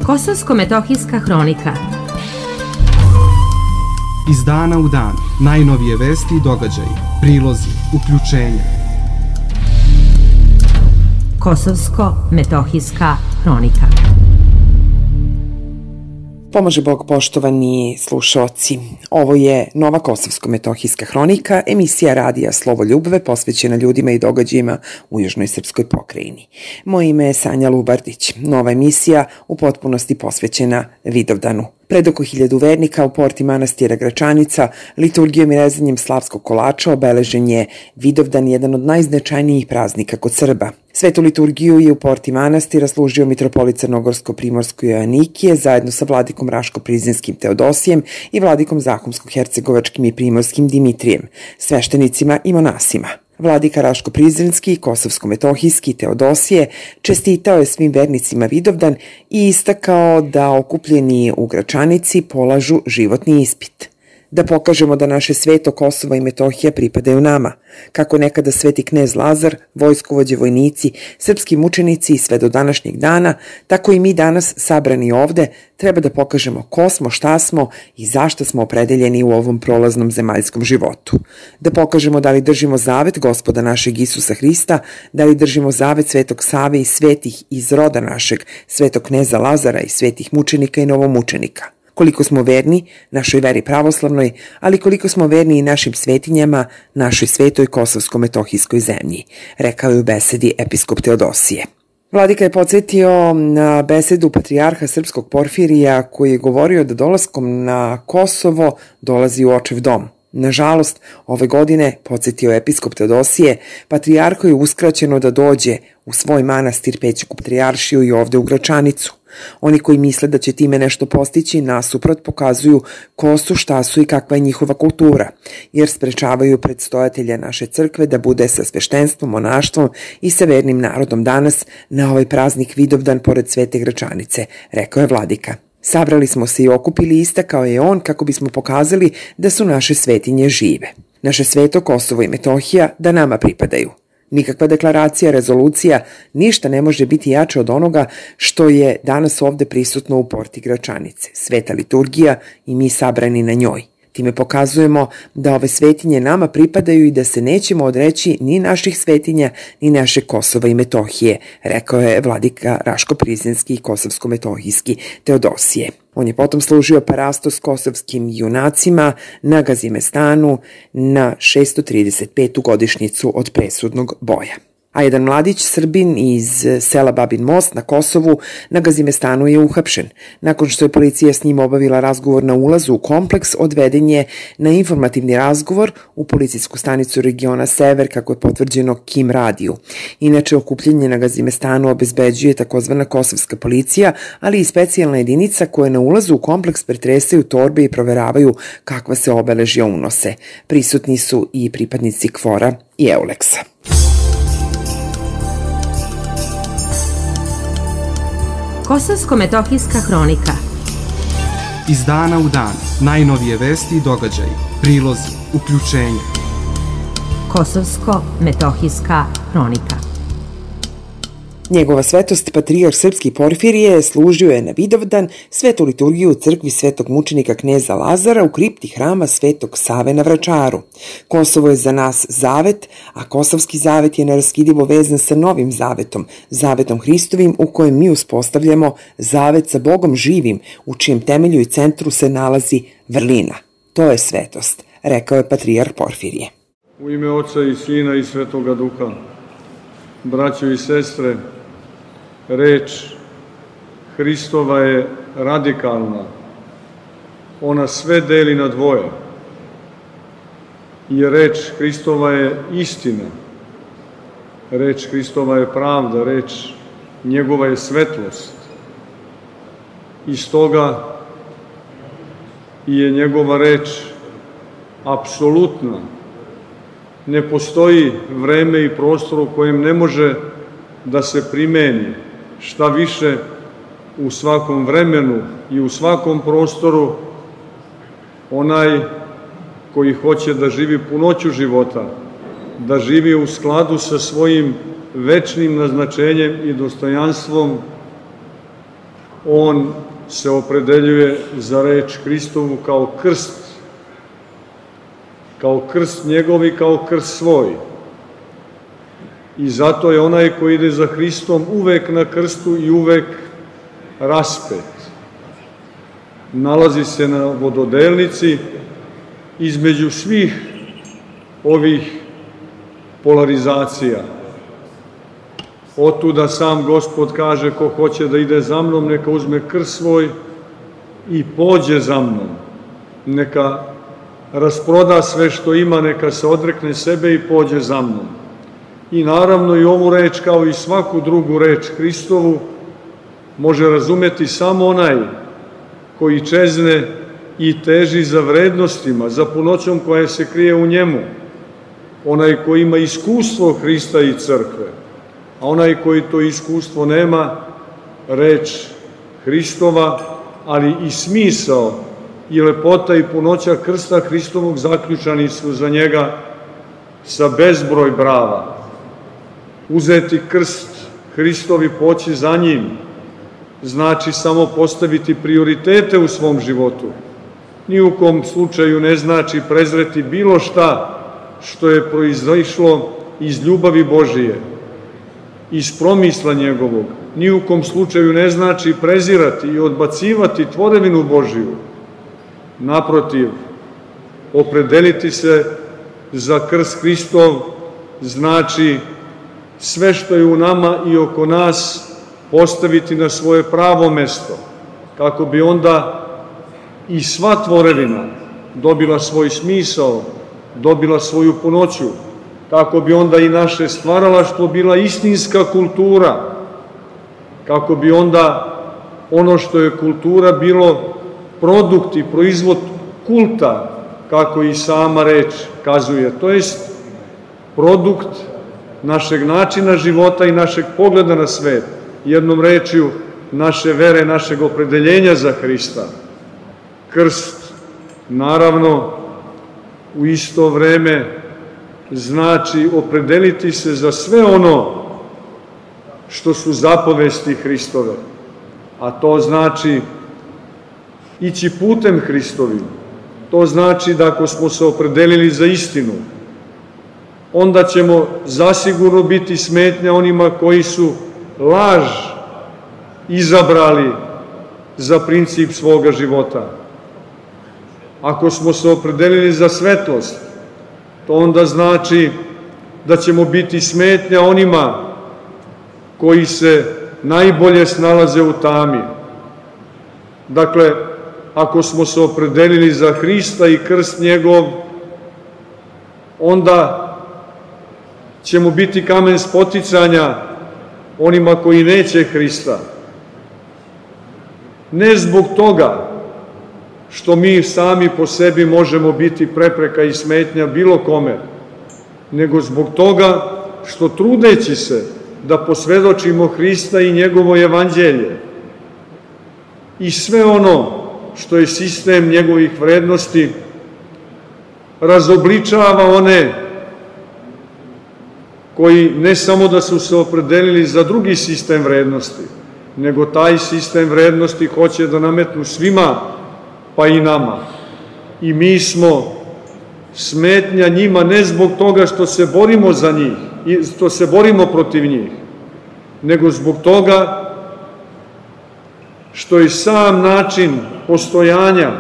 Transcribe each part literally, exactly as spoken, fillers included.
Kosovsko-metohijska hronika. Iz dana u dan, najnovije vesti i događaji, prilozi, uključenja. Kosovsko-metohijska hronika. Pomaže Bog, poštovani slušaoci. Ovo je nova Kosovsko-metohijska hronika, emisija radija Slovo Ljubve posvećena ljudima i događajima u južnoj srpskoj pokrajini. Moje ime je Sanja Lubardić. Nova emisija u potpunosti posvećena Vidovdanu. Pred oko hiljadu vernika u porti manastira Gračanica liturgijom i rezanjem slavskog kolača obeležen je Vidovdan, jedan od najznačajnijih praznika kod Srba. Svetu liturgiju je u porti manastira služio mitropolit Crnogorsko-Primorsko-Joanikije zajedno sa vladikom Raško-Prizinskim Teodosijem i vladikom Zahumsko-Hercegovačkim i Primorskim Dimitrijem, sveštenicima i monasima. Vladika Raško-Prizrenski i Kosovsko-metohijski Teodosije čestitao je svim vernicima Vidovdan i istakao da okupljeni u Gračanici polažu životni ispit. Da pokažemo da naše sveto Kosovo i Metohija pripadaju nama, kako nekada sveti knez Lazar, vojskovođe, vojnici, srpski mučenici i sve do današnjeg dana, tako i mi danas sabrani ovde treba da pokažemo ko smo, šta smo i zašto smo opredeljeni u ovom prolaznom zemaljskom životu. Da pokažemo da li držimo zavet Gospoda našeg Isusa Hrista, da li držimo zavet Svetog Save i svetih iz roda našeg, svetog kneza Lazara i svetih mučenika i novomučenika. Koliko smo verni našoj veri pravoslavnoj, ali koliko smo verni i našim svetinjama, našoj svetoj kosovsko-metohijskoj zemlji, rekao je u besedi episkop Teodosije. Vladika je podsjetio na besedu patrijarha srpskog Porfirija koji je govorio da dolaskom na Kosovo dolazi u očev dom. Nažalost, ove godine, podsjetio episkop Teodosije, patrijarhu je uskraćeno da dođe u svoj manastir Pećku patrijaršiju i ovde u Gračanicu. Oni koji misle da će time nešto postići nasuprot pokazuju ko su, šta su i kakva je njihova kultura, jer sprečavaju predstojatelja naše crkve da bude sa sveštenstvom, monaštvom i sa vernim narodom danas na ovaj praznik Vidovdan pored Svete Gračanice, rekao je vladika. Sabrali smo se i okupili, istakao je on, kako bismo pokazali da su naše svetinje žive. Naše sveto Kosovo i Metohija da nama pripadaju. Nikakva deklaracija, rezolucija, ništa ne može biti jače od onoga što je danas ovde prisutno u porti Gračanice. Sveta liturgija i mi sabrani na njoj. Time pokazujemo da ove svetinje nama pripadaju i da se nećemo odreći ni naših svetinja, ni naše Kosova i Metohije, rekao je vladika Raško-Prizinski i Kosovsko-metohijski Teodosije. On je potom služio parastos kosovskim junacima na Gazimestanu na šesto trideset petu godišnjicu od presudnog boja. A jedan mladić Srbin iz sela Babin Most na Kosovu na Gazimestanu je uhapšen. Nakon što je policija s njim obavila razgovor na ulazu u kompleks, odveden je na informativni razgovor u policijsku stanicu regiona Sever, kako je potvrđeno Kim radiju. Inače, okupljenje na Gazimestanu obezbeđuje takozvana kosovska policija, ali i specijalna jedinica koja na ulazu u kompleks pretresaju torbe i proveravaju kakva se obeležja unose. Prisutni su i pripadnici KFOR-a i Euleksa. Kosovsko-metohijska hronika. Iz dana u dan, najnovije vesti i događaji, prilozi, uključenja. Kosovsko-metohijska hronika. Njegova svetost patrijarh srpski Porfirije služio je na Vidovdan svetu liturgiju u crkvi svetog mučenika kneza Lazara u kripti hrama Svetog Save na Vračaru. Kosovo je za nas zavet, a kosovski zavet je neraskidivo vezan sa novim zavetom, zavetom Hristovim u kojem mi uspostavljamo zavet sa Bogom živim, u čijem temelju i centru se nalazi vrlina. To je svetost, rekao je patrijarh Porfirije. U ime Oca i Sina i Svetoga Duha, braćo i sestre, reč Hristova je radikalna. Ona sve deli na dvoje. I reč Hristova je istina. Reč Hristova je pravda, reč njegova je svetlost. I stoga je njegova reč apsolutna. Ne postoji vreme i prostor u kojem ne može da se primeni. Šta više, u svakom vremenu i u svakom prostoru onaj koji hoće da živi punoću života, da živi u skladu sa svojim večnim naznačenjem i dostojanstvom, on se opredeljuje za reč Hristovu kao krst, kao krst njegov i kao krst svoj. I zato je onaj koji ide za Hristom uvek na krstu i uvek raspet. Nalazi se na vododelnici između svih ovih polarizacija. Otuda sam Gospod kaže, ko hoće da ide za mnom, neka uzme krst svoj i pođe za mnom. Neka rasproda sve što ima, neka se odrekne sebe i pođe za mnom. I naravno i ovu reč, kao i svaku drugu reč Hristovu, može razumeti samo onaj koji čezne i teži za vrednostima, za punoćom koja se krije u njemu. Onaj koji ima iskustvo Hrista i crkve, a onaj koji to iskustvo nema, reč Hristova, ali i smisao i lepota i punoća krsta Hristovog zaključani su za njega sa bezbroj brava. Uzeti krst Hristov i poći za njim znači samo postaviti prioritete u svom životu. Ni u kom slučaju ne znači prezreti bilo šta što je proizašlo iz ljubavi Božije, iz promisla njegovog. Ni u kom slučaju ne znači prezirati i odbacivati tvorevinu Božiju. Naprotiv, opredeliti se za krst Hristov znači sve što je u nama i oko nas postaviti na svoje pravo mesto, kako bi onda i sva tvorevina dobila svoj smisao, dobila svoju punoću, kako bi onda i naše stvaralaštvo bila istinska kultura, kako bi onda ono što je kultura bilo produkt i proizvod kulta, kako i sama reč kazuje, to jest produkt našeg načina života i našeg pogleda na svet, jednom rečju naše vere, našeg opredeljenja za Hrista. Krst, naravno, u isto vreme znači opredeliti se za sve ono što su zapovesti Hristove, a to znači ići putem Hristovim. To znači da ako smo se opredelili za istinu, onda ćemo zasigurno biti smetnja onima koji su laž izabrali za princip svoga života. Ako smo se opredelili za svetlost, to onda znači da ćemo biti smetnja onima koji se najbolje snalaze u tami. Dakle, ako smo se opredelili za Hrista i krst njegov, onda ćemo biti kamen spoticanja onima koji neće Hrista. Ne zbog toga što mi sami po sebi možemo biti prepreka i smetnja bilo kome, nego zbog toga što trudeći se da posvedočimo Hrista i njegovo evanđelje i sve ono što je sistem njegovih vrednosti, razobličava one koji ne samo da su se opredelili za drugi sistem vrednosti, nego taj sistem vrednosti hoće da nametnu svima, pa i nama. I mi smo smetnja njima ne zbog toga što se borimo za njih, i što se borimo protiv njih, nego zbog toga što je sam način postojanja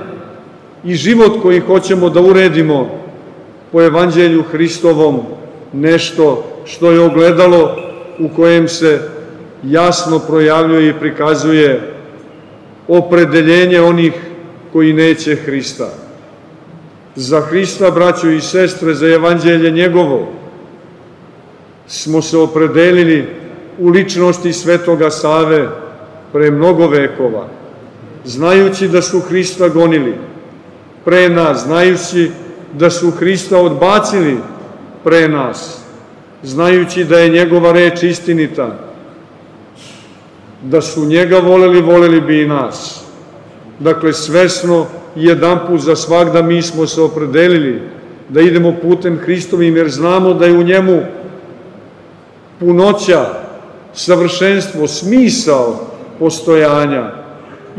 i život koji hoćemo da uredimo po evanđelju Hristovom nešto što je ogledalo u kojem se jasno projavljuje i prikazuje opredeljenje onih koji neće Hrista. Za Hrista, braćo i sestre, za evanđelje njegovo smo se opredelili u ličnosti Svetoga Save pre mnogo vekova, znajući da su Hrista gonili pre nas, znajući da su Hrista odbacili pre nas, znajući da je njegova reč istinita, da su njega voleli, voleli bi i nas. Dakle, svesno i jedanput za svagda mi smo se opredelili da idemo putem Hristovim, jer znamo da je u njemu punoća, savršenstvo, smisao postojanja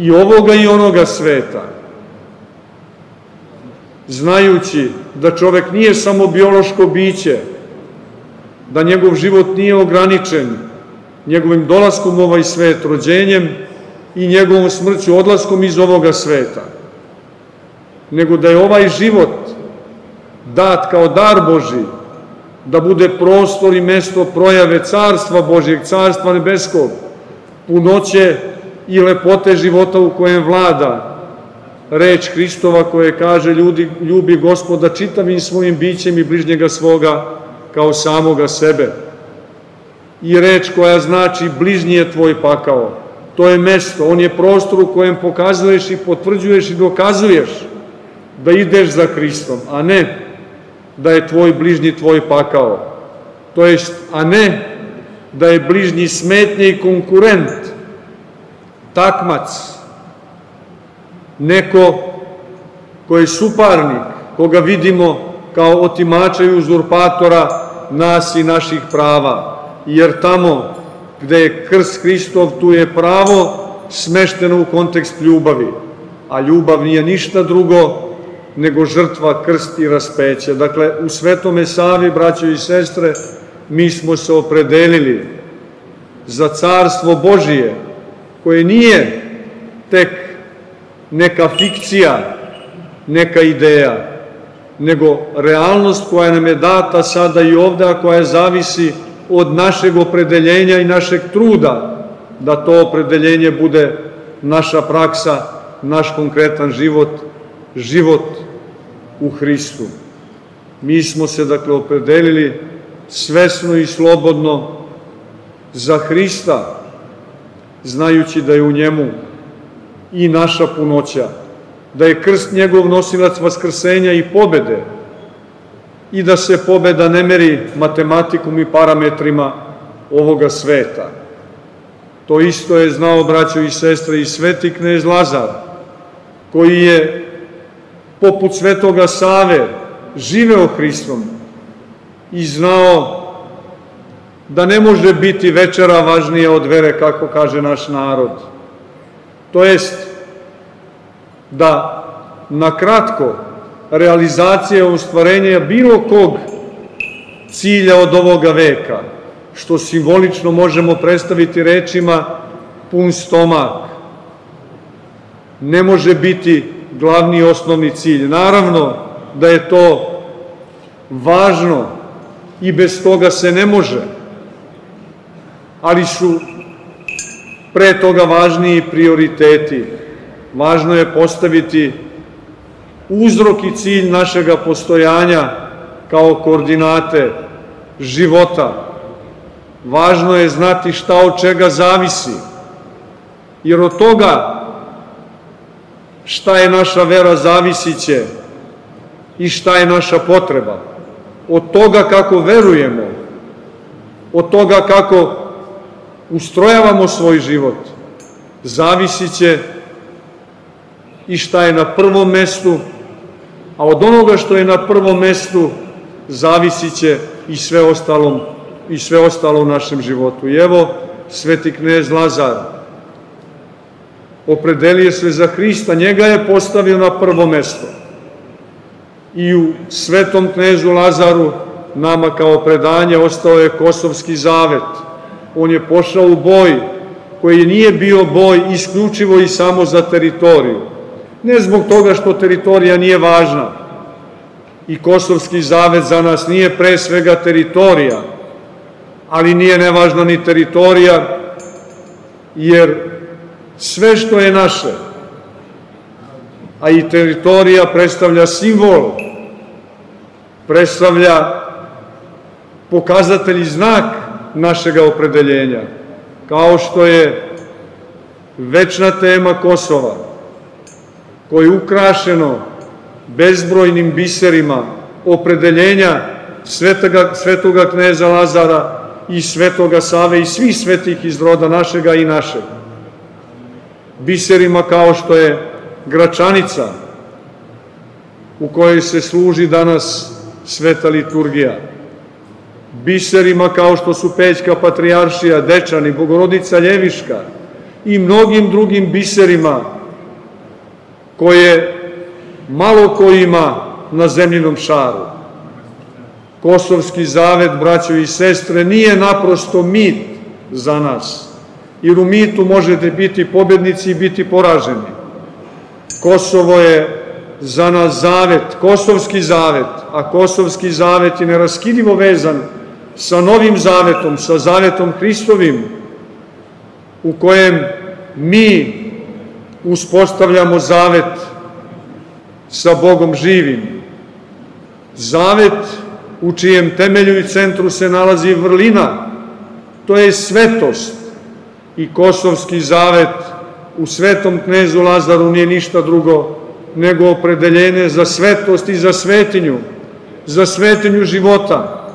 i ovoga i onoga sveta, znajući da čovek nije samo biološko biće, da njegov život nije ograničen njegovim dolaskom u ovaj svet, rođenjem i njegovom smrću, odlaskom iz ovoga sveta, nego da je ovaj život dat kao dar Božji, da bude prostor i mesto projave Carstva Božjeg, Carstva nebeskog, punoće i lepote života u kojem vlada reč Hristova koja kaže ljudi, ljubi Gospoda čitavim svojim bićem i bližnjega svoga kao samoga sebe. I reč koja znači bližnji je tvoj pakao. To je mesto, on je prostor u kojem pokazuješ i potvrđuješ i dokazuješ da ideš za Hristom, a ne da je tvoj bližnji tvoj pakao. To jest, a ne da je bližnji smetnje i konkurent, takmac, neko ko je suparnik, koga vidimo kao otimača i uzurpatora nas i naših prava. Jer tamo gde je krst Hristov, tu je pravo smešteno u kontekst ljubavi. A ljubav nije ništa drugo nego žrtva, krst i raspeće. Dakle, u Svetome Savi, braćo i sestre, mi smo se opredelili za Carstvo Božije, koje nije tek neka fikcija, neka ideja, nego realnost koja nam je data sada i ovde, a koja zavisi od našeg opredeljenja i našeg truda, da to opredeljenje bude naša praksa, naš konkretan život, život u Hristu. Mi smo se, dakle, opredelili svesno i slobodno za Hrista, znajući da je u njemu i naša punoća, da je krst njegov nosilac vaskrsenja i pobede i da se pobeda ne meri matematikom i parametrima ovoga sveta. To isto je znao, braćo i sestre, i sveti knez Lazar, koji je poput Svetoga Save živeo Hristom i znao da ne može biti večera važnija od vere, kako kaže naš narod. To jest da na kratko realizacija ostvarenja bilo kog cilja od ovoga veka, što simbolično možemo predstaviti rečima pun stomak, ne može biti glavni i osnovni cilj. Naravno da je to važno i bez toga se ne može, ali su pre toga važniji prioriteti. Važno je postaviti uzrok i cilj našega postojanja kao koordinate života. Važno je znati šta od čega zavisi, jer od toga šta je naša vera zavisit će i šta je naša potreba. Od toga kako verujemo, od toga kako ustrojavamo svoj život, zavisit će i šta je na prvom mestu, a od onoga što je na prvom mestu zavisit će i sve ostalo, i sve ostalo u našem životu. I evo, sveti knez Lazar opredelio se za Hrista, njega je postavio na prvo mesto. I u svetom knezu Lazaru nama kao predanje ostao je Kosovski zavet. On je pošao u boj koji nije bio boj isključivo i samo za teritoriju. Ne zbog toga što teritorija nije važna. I Kosovski zavet za nas nije pre svega teritorija, ali nije nevažna ni teritorija, jer sve što je naše, a i teritorija predstavlja simbol, predstavlja pokazatelj i znak našega opredeljenja, kao što je večna tema Kosova, koje je ukrašeno bezbrojnim biserima opredeljenja svetoga, svetoga kneza Lazara i Svetoga Save i svih svetih iz roda našega i našeg. Biserima kao što je Gračanica, u kojoj se služi danas sveta liturgija. Biserima kao što su Pećka patrijaršija, Dečani, Bogorodica Ljeviška i mnogim drugim biserima koje malo ko ima na zemljinom šaru. Kosovski zavet, braćo i sestre, nije naprosto mit za nas, jer u mitu možete biti pobjednici i biti poraženi. Kosovo je za nas zavet, kosovski zavet, a kosovski zavet je neraskidivo vezan sa novim zavetom, sa zavetom Hristovim, u kojem mi uspostavljamo zavet sa Bogom živim. Zavet u čijem temelju i centru se nalazi vrlina, to je svetost. I kosovski zavet u svetom knezu Lazaru nije ništa drugo nego opredeljenje za svetost i za svetinju, za svetinju života,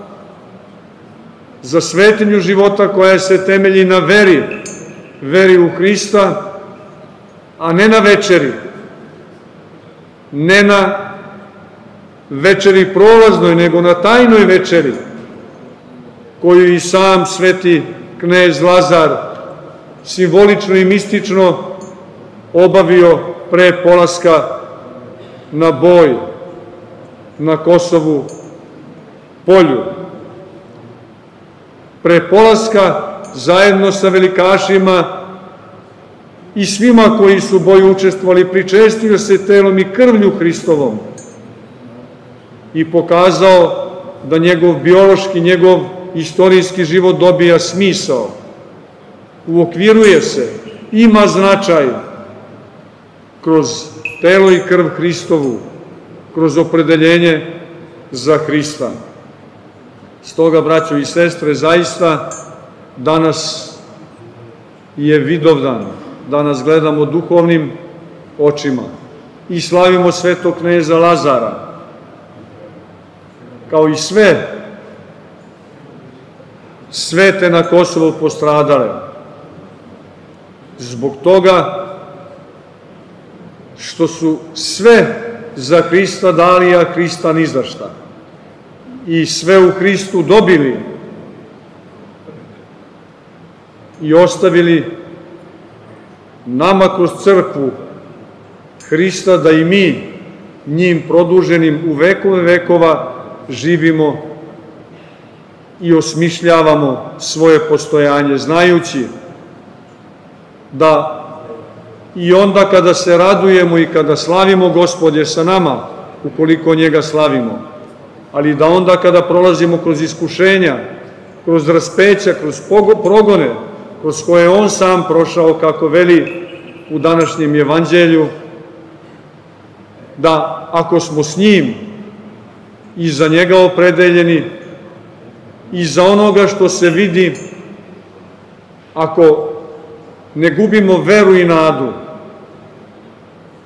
za svetinju života koja se temelji na veri, veri u Hrista, a ne na večeri, ne na večeri prolaznoj, nego na tajnoj večeri, koju i sam sveti knez Lazar simbolično i mistično obavio pre polaska na boj na Kosovu polju. Pre polaska zajedno sa velikašima i svima koji su u boju učestvovali, pričestio se telom i krvlju Hristovom i pokazao da njegov biološki, njegov istorijski život dobija smisao, uokviruje se, ima značaj kroz telo i krv Hristovu, kroz opredeljenje za Hrista. Stoga, braćo i sestre, zaista danas je Vidovdan, danas gledamo duhovnim očima i slavimo svetog kneza Lazara, kao i sve svete na Kosovu postradale. Zbog toga što su sve za Hrista dali, a Hrista ni za šta. I sve u Hristu dobili i ostavili nama kroz crkvu Hrista da i mi njim produženim u vekove vekova živimo i osmišljavamo svoje postojanje, znajući da i onda kada se radujemo i kada slavimo, Gospod je sa nama, ukoliko njega slavimo, ali da onda kada prolazimo kroz iskušenja, kroz raspeća, kroz progone, kroz koje on sam prošao, kako veli u današnjem evanđelju, da ako smo s njim i za njega opredeljeni i za onoga što se vidi, ako ne gubimo veru i nadu,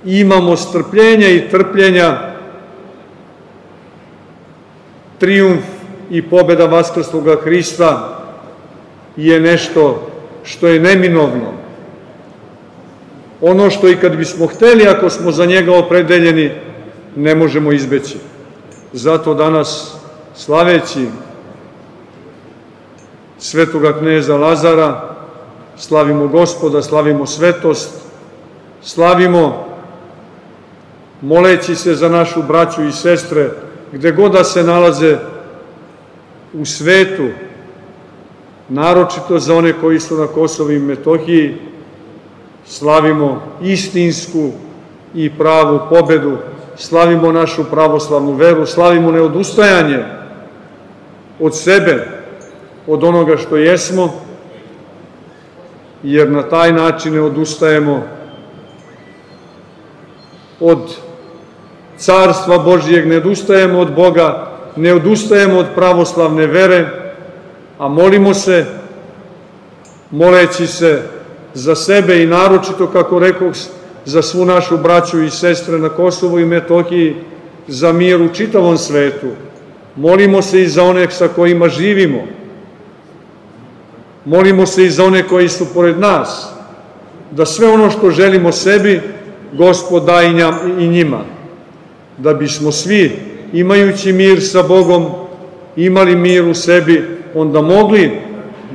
imamo strpljenja i trpljenja, trijumf i pobeda vaskrsloga Hrista je nešto što je neminovno. Ono što i kad bismo hteli, ako smo za njega opredeljeni, ne možemo izbeći. Zato danas, slaveći svetoga kneza Lazara, slavimo Gospoda, slavimo svetost, slavimo moleći se za našu braću i sestre, gde god da se nalaze u svetu, naročito za one koji su na Kosovu i Metohiji, slavimo istinsku i pravu pobedu, slavimo našu pravoslavnu veru, slavimo neodustajanje od sebe, od onoga što jesmo, jer na taj način ne odustajemo od Carstva Božijeg, ne odustajemo od Boga, ne odustajemo od pravoslavne vere, a molimo se, moleći se za sebe i naročito, kako rekoh, za svu našu braću i sestre na Kosovu i Metohiji, za mir u čitavom svetu. Molimo se i za one sa kojima živimo. Molimo se i za one koji su pored nas, da sve ono što želimo sebi, Gospod da i njima, da bismo svi, imajući mir sa Bogom, imali mir u sebi, onda mogli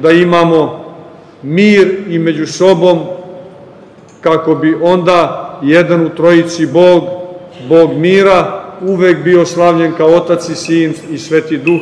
da imamo mir i među sobom kako bi onda jedan u trojici Bog, Bog mira, uvek bio slavljen kao Otac i Sin i Sveti Duh,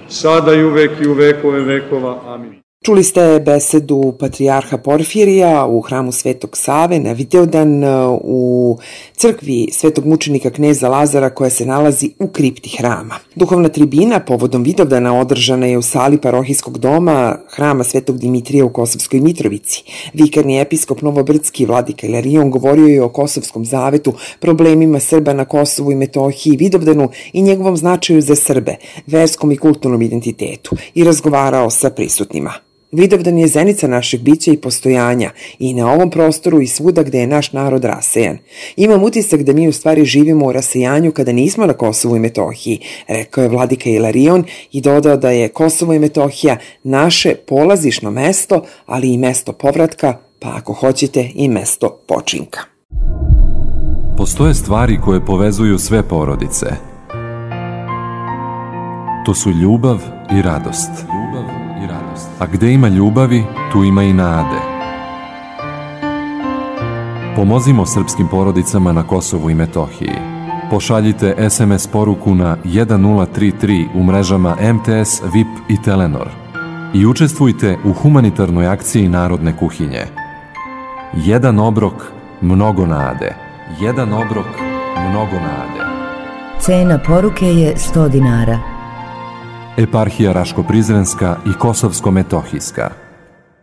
sada i uvek i u vekove vekova. Amin. Čuli ste besedu patrijarha Porfirija u hramu Svetog Save na Vidovdan u crkvi Svetog mučenika kneza Lazara koja se nalazi u kripti hrama. Duhovna tribina povodom Vidovdana održana je u sali parohijskog doma hrama Svetog Dimitrija u Kosovskoj Mitrovici. Vikarni episkop Novobrdski vladika Ilarion govorio je o Kosovskom zavetu, problemima Srba na Kosovu i Metohiji, Vidovdanu i njegovom značaju za Srbe, verskom i kulturnom identitetu i razgovarao sa prisutnima. Vidovdan je zenica našeg bića i postojanja i na ovom prostoru i svuda gde je naš narod rasejan. Imam utisak da mi u stvari živimo u rasejanju kada nismo na Kosovu i Metohiji, rekao je vladika Ilarion i dodao da je Kosovo i Metohija naše polazišno mesto, ali i mesto povratka, pa ako hoćete i mesto počinka. Postoje stvari koje povezuju sve porodice. To su ljubav i radost. A gde ima ljubavi, tu ima i nade. Pomozimo srpskim porodicama na Kosovu i Metohiji. Pošaljite es em es poruku na jedan nula tri tri u mrežama em te es, V I P i Telenor i učestvujte u humanitarnoj akciji Narodne kuhinje. Jedan obrok, mnogo nade. Jedan obrok, mnogo nade. Cena poruke je sto dinara. Eparhija Raško-Prizrenska i Kosovsko-Metohijska.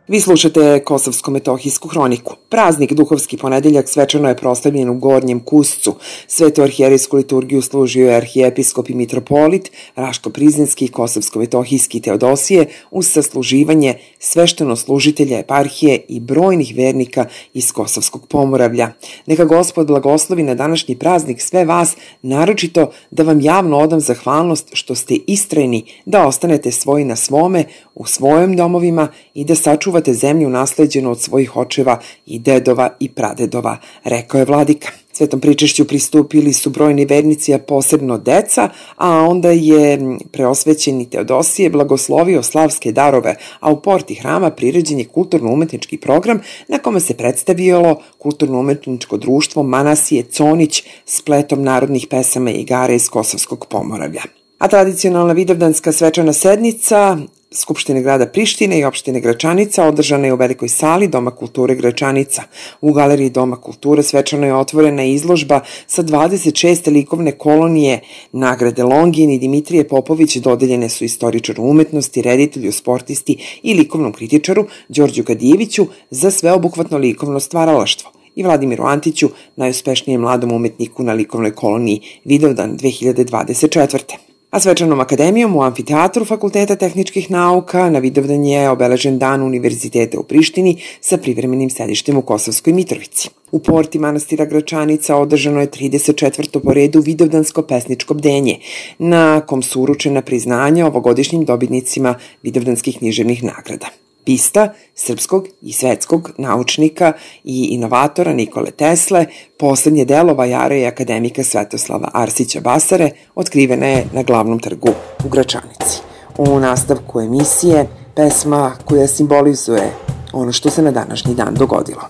Vi slušate Kosovsko-Metohijsku hroniku. Praznik Duhovski ponedeljak svečano je proslavljen u Gornjem Kuscu. Svetu arhijerejsku liturgiju služio je arhijepiskop i mitropolit, Raško-Prizrenski i Kosovsko-Metohijski Teodosije uz sasluživanje svešteno-služitelja eparhije i brojnih vernika iz Kosovskog Pomoravlja. Neka Gospod blagoslovi na današnji praznik sve vas, naročito da vam javno odam zahvalnost što ste istrajni da ostanete svoji na svome, u svojim domovima i da sačuvate zemlju nasleđenu od svojih očeva i dedova i pradedova, rekao je vladika. Svetom pričešću pristupili su brojni vernici, a posebno deca, a onda je preosvećeni Teodosije blagoslovio slavske darove, a u porti hrama priređen je kulturno-umetnički program na kome se predstavilo kulturno-umetničko društvo Manasije Conić spletom narodnih pesama i igara iz Kosovskog Pomoravlja. A tradicionalna vidovdanska svečana sednica Skupštine grada Prištine i opštine Gračanica održana je u velikoj sali Doma kulture Gračanica. U galeriji Doma kulture svečano je otvorena izložba sa dvadeset šest likovne kolonije. Nagrade Longin i Dimitrije Popović dodeljene su istoričaru umetnosti, reditelju, sportisti i likovnom kritičaru Đorđu Gadijeviću za sveobuhvatno likovno stvaralaštvo i Vladimiru Antiću, najuspešnijem mladom umetniku na likovnoj koloniji Vidovdan dve hiljade dvadeset četvrte. A svečanom akademijom u amfiteatru Fakulteta tehničkih nauka na Vidovdan je obeležen dan Univerziteta u Prištini sa privremenim sedištem u Kosovskoj Mitrovici. U porti manastira Gračanica održano je trideset četvrto po redu Vidovdansko pesničko bdenje, na kom su uručena priznanja ovogodišnjim dobitnicima Vidovdanskih književnih nagrada. Pista srpskog i svetskog naučnika i inovatora Nikole Tesle, poslednje delo vajara i akademika Svetoslava Arsića Basare, otkrivena je na glavnom trgu u Gračanici. U nastavku emisije pesma koja simbolizuje ono što se na današnji dan dogodilo.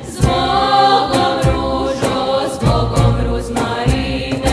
Zbogom ružo, zbogom ruz Marine,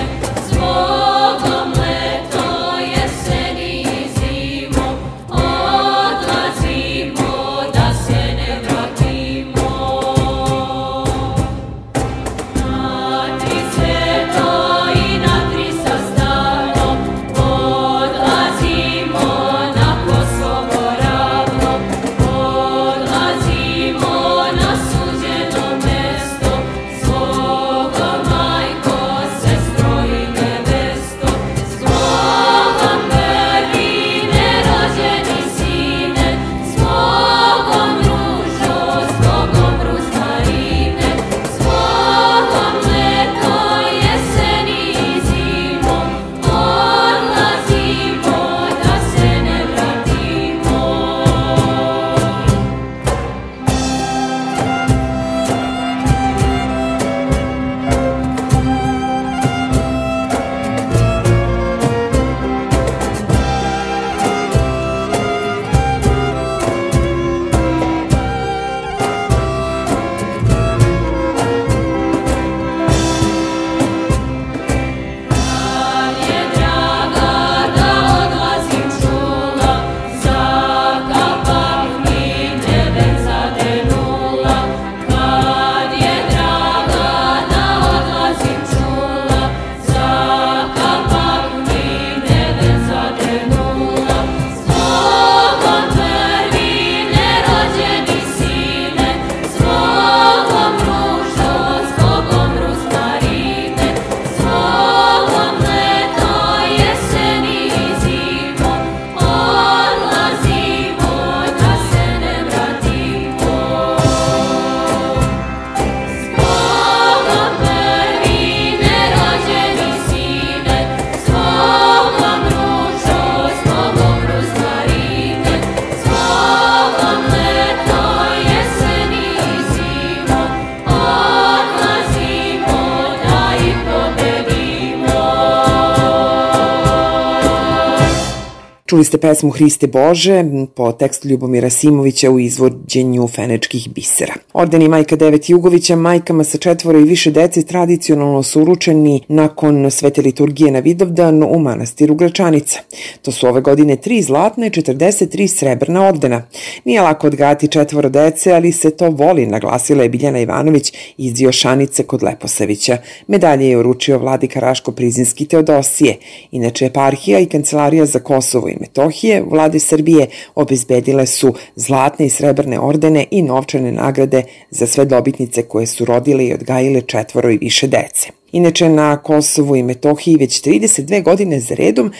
Čuli ste pesmu Hriste Bože po tekstu Ljubomira Simovića u izvođenju Fenečkih bisera. Ordeni Majka Devet Jugovića majkama sa četvoro i više dece tradicionalno su uručeni nakon svete liturgije na Vidovdan u manastiru Gračanica. To su ove godine tri zlatna i četrdeset tri srebrna ordena. Nije lako odgajati četvoro dece, ali se to voli, naglasila je Biljana Ivanović iz Jošanice kod Leposavića. Medalje je uručio vladika Raško Prizinski Teodosije. Inače, eparhija i Kancelarija za Kosovo i Metohije vlade Srbije obezbedile su zlatne i srebrne ordene i novčane nagrade za sve dobitnice koje su rodile i odgajile četvoro i više dece. Inače, na Kosovu i Metohiji već trideset dve godine za redom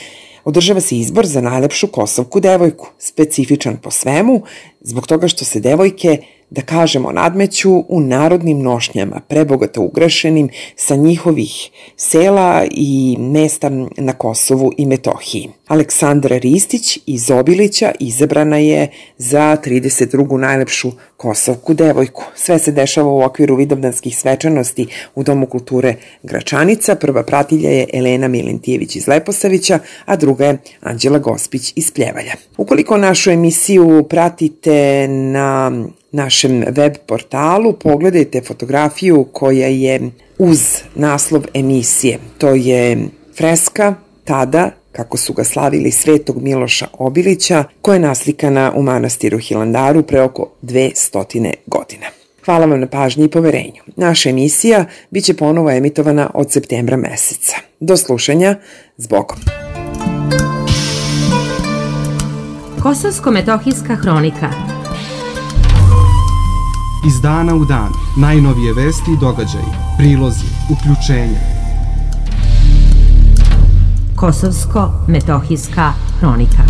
održava se izbor za najlepšu kosovku devojku, specifičan po svemu, zbog toga što se devojke, da kažemo, nadmeću u narodnim nošnjama, prebogato ukrašenim sa njihovih sela i mesta na Kosovu i Metohiji. Aleksandra Ristić iz Obilića izabrana je za trideset drugu najlepšu kosovku devojku. Sve se dešava u okviru vidovdanskih svečanosti u Domu kulture Gračanica. Prva pratilja je Elena Milentijević iz Leposavića, a druga je Anđela Gospić iz Pljevalja. Ukoliko našu emisiju pratite na našem web portalu, pogledajte fotografiju koja je uz naslov emisije. To je freska tada, kako su ga slavili, Svetog Miloša Obilića, koja je naslikana u manastiru Hilandaru pre oko dve stotine godina. Hvala vam na pažnji i poverenju. Naša emisija biće ponovo emitovana od septembra meseca. Do slušanja, zbogom. Kosovsko-metohijska hronika. Iz dana u dan, najnovije vesti i događaji, prilozi, uključenja. Kosovsko-metohijska hronika.